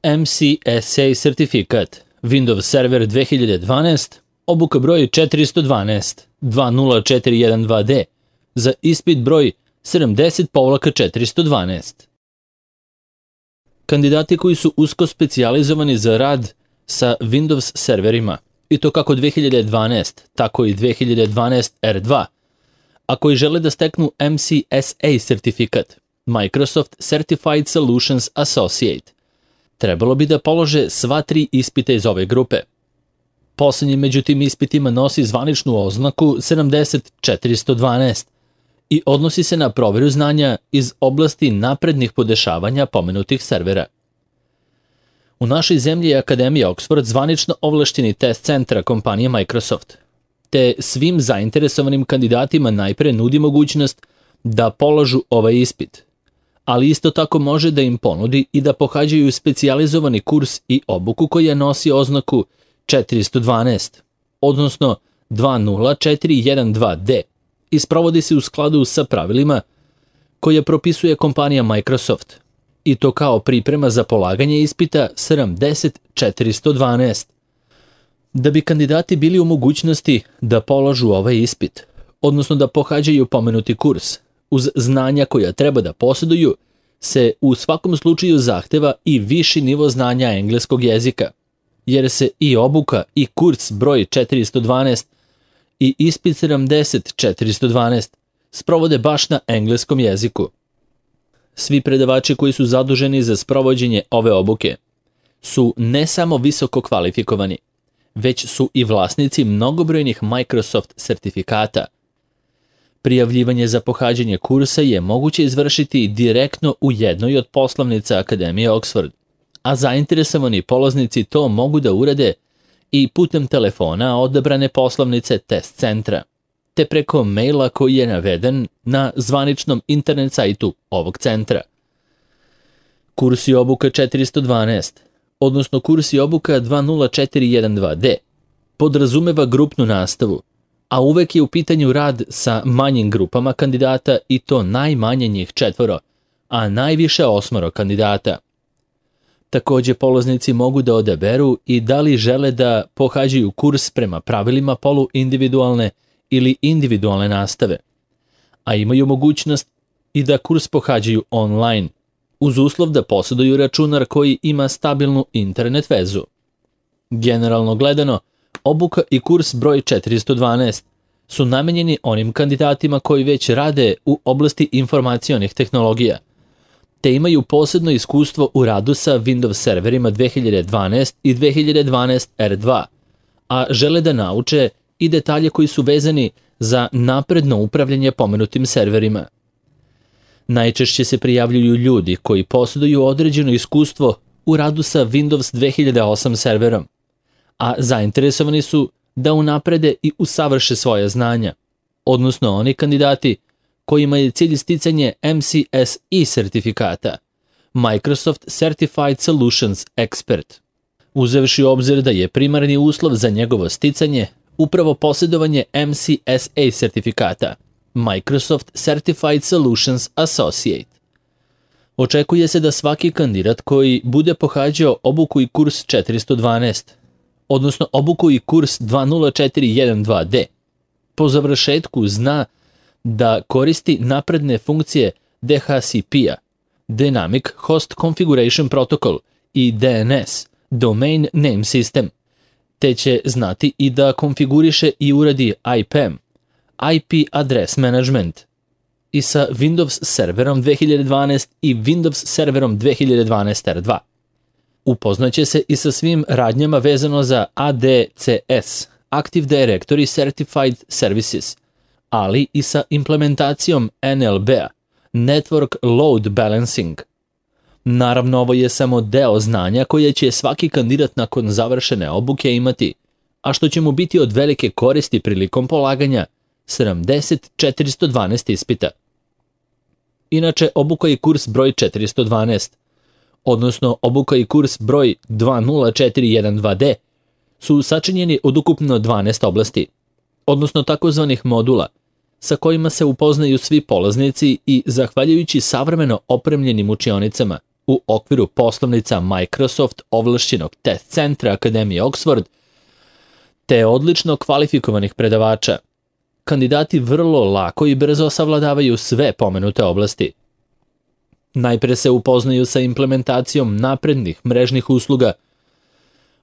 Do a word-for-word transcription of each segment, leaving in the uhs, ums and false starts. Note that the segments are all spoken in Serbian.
M C S A sertifikat, Windows Server dve hiljade dvanaest, obuka broj četiristo dvanaest dva nula četiri jedan dva D za ispit broj sedamdeset četiristo dvanaest. Kandidati koji su usko specijalizovani za rad sa Windows serverima, i to kako dve hiljade dvanaest, tako i dve hiljade dvanaest R dva, a koji žele da steknu M C S A sertifikat, Microsoft Certified Solutions Associate, trebalo bi da polože sva tri ispita iz ove grupe. Poslednji među tim ispitima nosi zvaničnu oznaku sedamdeset četiristo dvanaest i odnosi se na proveru znanja iz oblasti naprednih podešavanja pomenutih servera. U našoj zemlji je Akademija Oxford zvanično ovlašćeni test centra kompanije Microsoft, te svim zainteresovanim kandidatima najpre nudi mogućnost da polažu ovaj ispit, ali isto tako može da im ponudi i da pohađaju specijalizovani kurs i obuku koja nosi oznaku četiristo dvanaest, odnosno dva nula četiri jedan dva D, i sprovodi se u skladu sa pravilima koje propisuje kompanija Microsoft, i to kao priprema za polaganje ispita sedamdeset četiristo dvanaest. Da bi kandidati bili u mogućnosti da polažu ovaj ispit, odnosno da pohađaju pomenuti kurs, uz znanja koja treba da posjeduju, se u svakom slučaju zahteva i viši nivo znanja engleskog jezika, jer se i obuka i kurs broj četiristo dvanaest i ispit sedamdeset četiristo dvanaest sprovode baš na engleskom jeziku. Svi predavači koji su zaduženi za sprovođenje ove obuke su ne samo visoko kvalifikovani, već su i vlasnici mnogobrojnih Microsoft sertifikata. Prijavljivanje za pohađanje kursa je moguće izvršiti direktno u jednoj od poslovnica Akademije Oxford, a zainteresovani polaznici to mogu da urade i putem telefona odabrane poslovnice test centra, te preko maila koji je naveden na zvaničnom internet sajtu ovog centra. Kurs i obuka četiristo dvanaest, odnosno kurs i obuka dva nula četiri jedan dva D, podrazumeva grupnu nastavu, a uvek je u pitanju rad sa manjim grupama kandidata i to najmanje njih četvoro, a najviše osmoro kandidata. Takođe, polaznici mogu da odaberu i da li žele da pohađaju kurs prema pravilima poluindividualne ili individualne nastave, a imaju mogućnost i da kurs pohađaju online, uz uslov da posjeduju računar koji ima stabilnu internet vezu. Generalno gledano, obuka i kurs broj četiristo dvanaest su namenjeni onim kandidatima koji već rade u oblasti informacionih tehnologija, te imaju posebno iskustvo u radu sa Windows serverima dve hiljade dvanaest i dve hiljade dvanaest R dva, a žele da nauče i detalje koji su vezani za napredno upravljanje pomenutim serverima. Najčešće se prijavljuju ljudi koji posjeduju određeno iskustvo u radu sa Windows dve hiljade osam serverom, a zainteresovani su da unaprede i usavrše svoje znanja, odnosno oni kandidati kojima je cilj sticanje M C S A sertifikata, Microsoft Certified Solutions Expert, uzevši u obzir da je primarni uslov za njegovo sticanje upravo posjedovanje M C S A sertifikata, Microsoft Certified Solutions Associate. Očekuje se da svaki kandidat koji bude pohađao obuku i kurs četiristo dvanaest, odnosno obuku i kurs dva nula četiri jedan dva D, po završetku zna da koristi napredne funkcije D H C P-a, Dynamic Host Configuration Protocol, i D N S, Domain Name System, te će znati i da konfiguriše i uradi I P A M, I P Address Management, i sa Windows serverom dve hiljade dvanaest i Windows serverom dve hiljade dvanaest R dva. Upoznaće se i sa svim radnjama vezano za A D C S, Active Directory Certified Services, ali i sa implementacijom N L B-a, Network Load Balancing. Naravno, ovo je samo deo znanja koje će svaki kandidat nakon završene obuke imati, a što će mu biti od velike koristi prilikom polaganja sedamdeset četiristo dvanaest ispita. Inače, obuka i kurs broj četiristo dvanaest, odnosno obuka i kurs broj dva nula četiri jedan dva D, su sačinjeni od ukupno dvanaest oblasti, odnosno takozvanih modula, sa kojima se upoznaju svi polaznici i zahvaljujući savremeno opremljenim učionicama, u okviru poslovnica Microsoft ovlašćenog test centra Akademije Oxford, te odlično kvalifikovanih predavača. Kandidati vrlo lako i brzo savladavaju sve pomenute oblasti. Najpre se upoznaju sa implementacijom naprednih mrežnih usluga,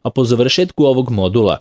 a po završetku ovog modula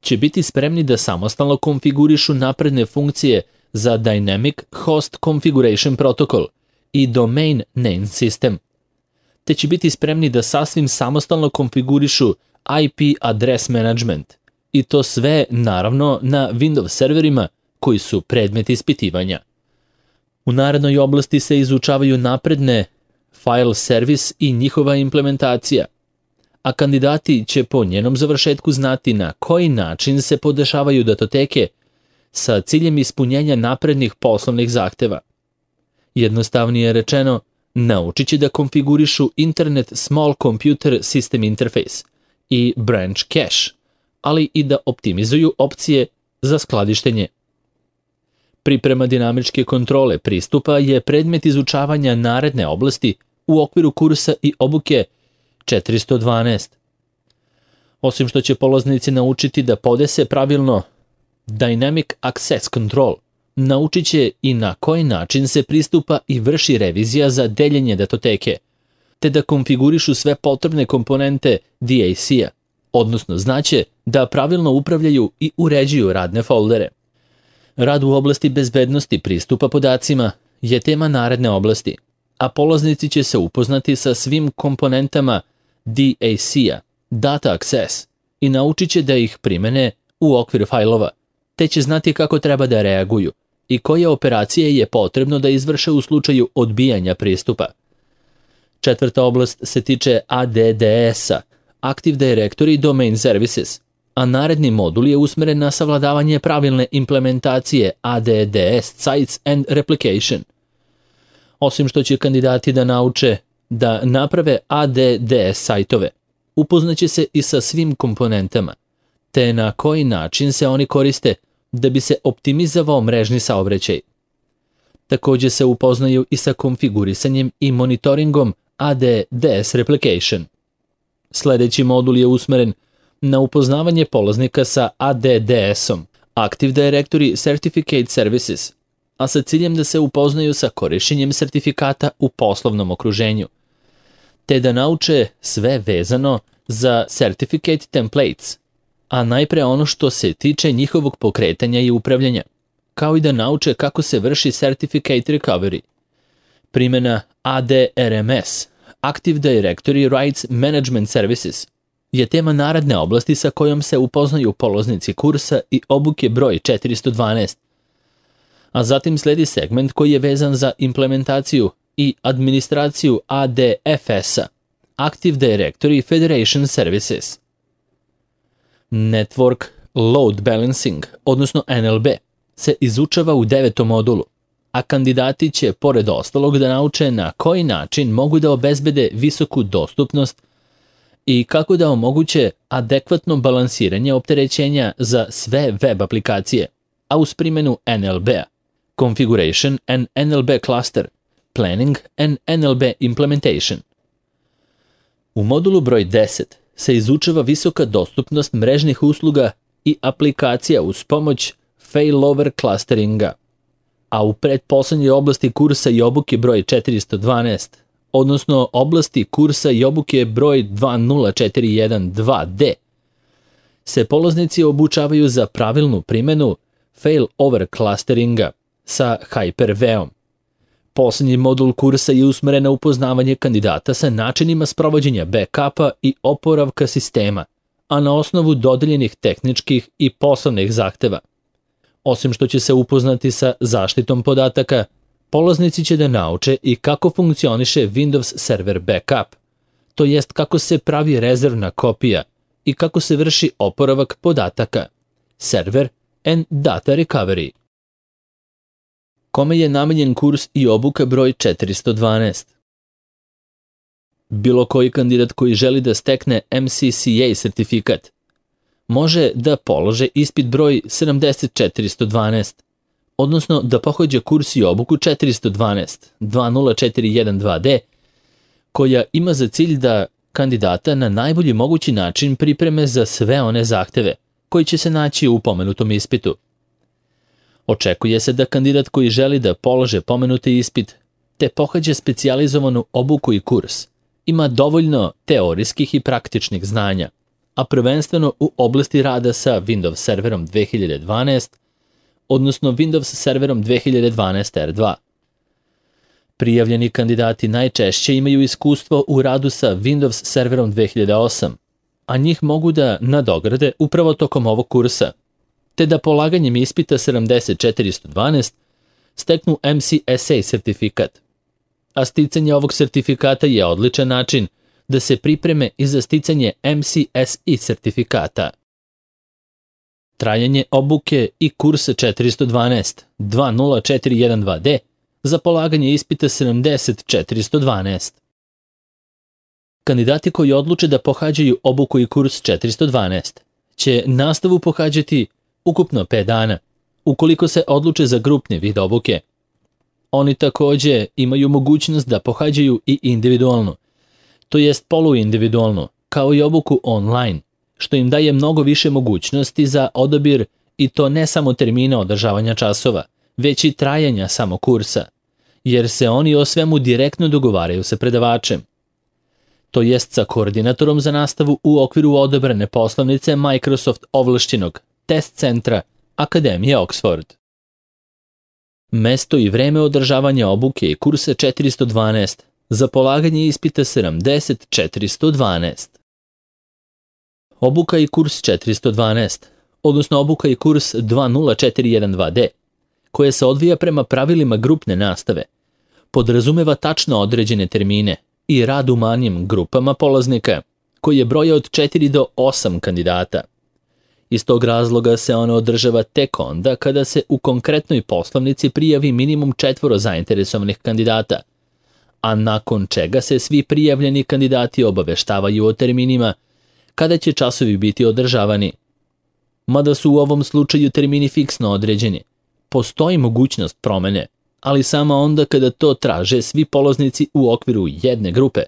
će biti spremni da samostalno konfigurišu napredne funkcije za Dynamic Host Configuration Protocol i Domain Name System, te će biti spremni da sasvim samostalno konfigurišu I P Address Management, i to sve, naravno, na Windows serverima koji su predmet ispitivanja. U narednoj oblasti se izučavaju napredne file service i njihova implementacija, a kandidati će po njenom završetku znati na koji način se podešavaju datoteke sa ciljem ispunjenja naprednih poslovnih zahteva. Jednostavnije rečeno, naučit će da konfigurišu Internet Small Computer System Interface i Branch Cache, ali i da optimizuju opcije za skladištenje. Priprema dinamičke kontrole pristupa je predmet izučavanja naredne oblasti u okviru kursa i obuke četiristo dvanaest. Osim što će polaznici naučiti da podese pravilno Dynamic Access Control, naučit će i na koji način se pristupa i vrši revizija za deljenje datoteke, te da konfigurišu sve potrebne komponente D A C-a, odnosno znaće da pravilno upravljaju i uređuju radne foldere. Rad u oblasti bezbednosti pristupa podacima je tema naredne oblasti, a polaznici će se upoznati sa svim komponentama D A C-a, Data Access, i naučit će da ih primene u okviru fajlova, te će znati kako treba da reaguju i koje operacije je potrebno da izvrše u slučaju odbijanja pristupa. Četvrta oblast se tiče A D D S-a, Active Directory Domain Services, a naredni modul je usmeren na savladavanje pravilne implementacije A D D S Sites and Replication. Osim što će kandidati da nauče da naprave A D D S sajtove, upoznaće se i sa svim komponentama, te na koji način se oni koriste da bi se optimizovao mrežni saobraćaj. Također se upoznaju i sa konfigurisanjem i monitoringom A D D S Replication. Sljedeći modul je usmeren na upoznavanje polaznika sa A D D S-om, Active Directory Certificate Services, a sa ciljem da se upoznaju sa korišćenjem sertifikata u poslovnom okruženju, te da nauče sve vezano za Certificate Templates, a najpre ono što se tiče njihovog pokretanja i upravljanja, kao i da nauče kako se vrši Certificate Recovery. Primjena A D R M S, Active Directory Rights Management Services, je tema naredne oblasti sa kojom se upoznaju polaznici kursa i obuke broj četiristo dvanaest. A zatim sledi segment koji je vezan za implementaciju i administraciju A D F S-a, Active Directory Federation Services. Network Load Balancing, odnosno N L B, se izučava u devetom modulu, a kandidati će, pored ostalog, da nauče na koji način mogu da obezbede visoku dostupnost i kako da omoguće adekvatno balansiranje opterećenja za sve web aplikacije, a uz primjenu N L B-a, Configuration and N L B Cluster, Planning and N L B Implementation. U modulu broj deset se izučava visoka dostupnost mrežnih usluga i aplikacija uz pomoć failover clusteringa, a u pretposlednjoj oblasti kursa i obuke broj četiristo dvanaest, odnosno oblasti kursa i obuke broj dva nula četiri jedan dva D, se polaznici obučavaju za pravilnu primjenu failover clusteringa sa Hyper-V-om. Posljednji modul kursa je usmeren na upoznavanje kandidata sa načinima sprovođenja backupa i oporavka sistema, a na osnovu dodeljenih tehničkih i poslovnih zahteva. Osim što će se upoznati sa zaštitom podataka, polaznici će da nauče i kako funkcioniše Windows Server Backup, to jest kako se pravi rezervna kopija i kako se vrši oporavak podataka, Server and Data Recovery. Kome je namenjen kurs i obuka broj četiristo dvanaest? Bilo koji kandidat koji želi da stekne M C C A sertifikat može da polože ispit broj sedamdeset četiristo dvanaest, odnosno da pohađa kurs i obuku četiristo dvanaest dva nula četiri jedan dva D koja ima za cilj da kandidata na najbolji mogući način pripreme za sve one zahteve koji će se naći u pomenutom ispitu. Očekuje se da kandidat koji želi da polože pomenuti ispit te pohađa specijalizovanu obuku i kurs ima dovoljno teorijskih i praktičnih znanja, a prvenstveno u oblasti rada sa Windows serverom dve hiljade dvanaest, odnosno Windows serverom dve hiljade dvanaest R dva. Prijavljeni kandidati najčešće imaju iskustvo u radu sa Windows serverom dve hiljade osam, a njih mogu da nadograde upravo tokom ovog kursa, te da polaganjem ispita sedamdeset četiristo dvanaest steknu M C S A sertifikat. A sticanje ovog sertifikata je odličan način da se pripreme i za sticanje M C S I sertifikata. Trajanje obuke i kursa četiristo dvanaest dva nula četiri jedan dva D za polaganje ispita sedamdeset četiristo dvanaest. Kandidati koji odluče da pohađaju obuku i kurs četiristo dvanaest će nastavu pohađati ukupno pet dana, ukoliko se odluče za grupni vid obuke. Oni takođe imaju mogućnost da pohađaju i individualno, to jest poluindividualno, kao i obuku online, što im daje mnogo više mogućnosti za odabir i to ne samo termina održavanja časova, već i trajanja samog kursa, jer se oni o svemu direktno dogovaraju sa predavačem, to jest sa koordinatorom za nastavu u okviru odabrane poslovnice Microsoft ovlašćenog test centra Akademije Oxford. Mesto i vreme održavanja obuke i kursa četiristo dvanaest za polaganje ispita sedamdeset četiristo dvanaest. Obuka i kurs četiristo dvanaest, odnosno obuka i kurs dva nula četiri jedan dva D, koja se odvija prema pravilima grupne nastave, podrazumeva tačno određene termine i rad u manjim grupama polaznika, koji je broja od četiri do osam kandidata. Iz tog razloga se ona održava tek onda kada se u konkretnoj poslovnici prijavi minimum četvoro zainteresovanih kandidata, a nakon čega se svi prijavljeni kandidati obaveštavaju o terminima kada će časovi biti održavani. Mada su u ovom slučaju termini fiksno određeni, postoji mogućnost promene, ali samo onda kada to traže svi polaznici u okviru jedne grupe.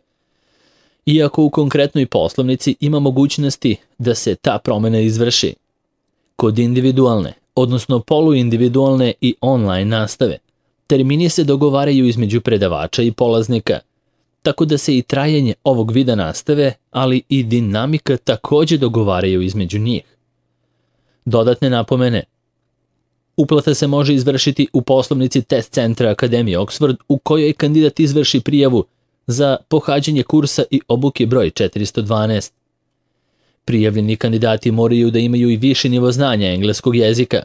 Iako u konkretnoj poslovnici ima mogućnosti da se ta promena izvrši. Kod individualne, odnosno poluindividualne i online nastave, termini se dogovaraju između predavača i polaznika, tako da se i trajanje ovog vida nastave, ali i dinamika takođe dogovaraju između njih. Dodatne napomene. Uplata se može izvršiti u poslovnici test centra Akademije Oxford u kojoj kandidat izvrši prijavu za pohađanje kursa i obuke broj četiristo dvanaest. Prijavljeni kandidati moraju da imaju i viši nivo znanja engleskog jezika.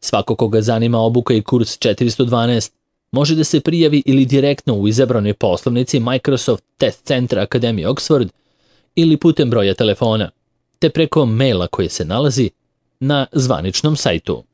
Svako koga zanima obuka i kurs četiristo dvanaest može da se prijavi ili direktno u izabranoj poslovnici Microsoft Test Centra Akademije Oxford ili putem broja telefona, te preko maila koji se nalazi na zvaničnom sajtu.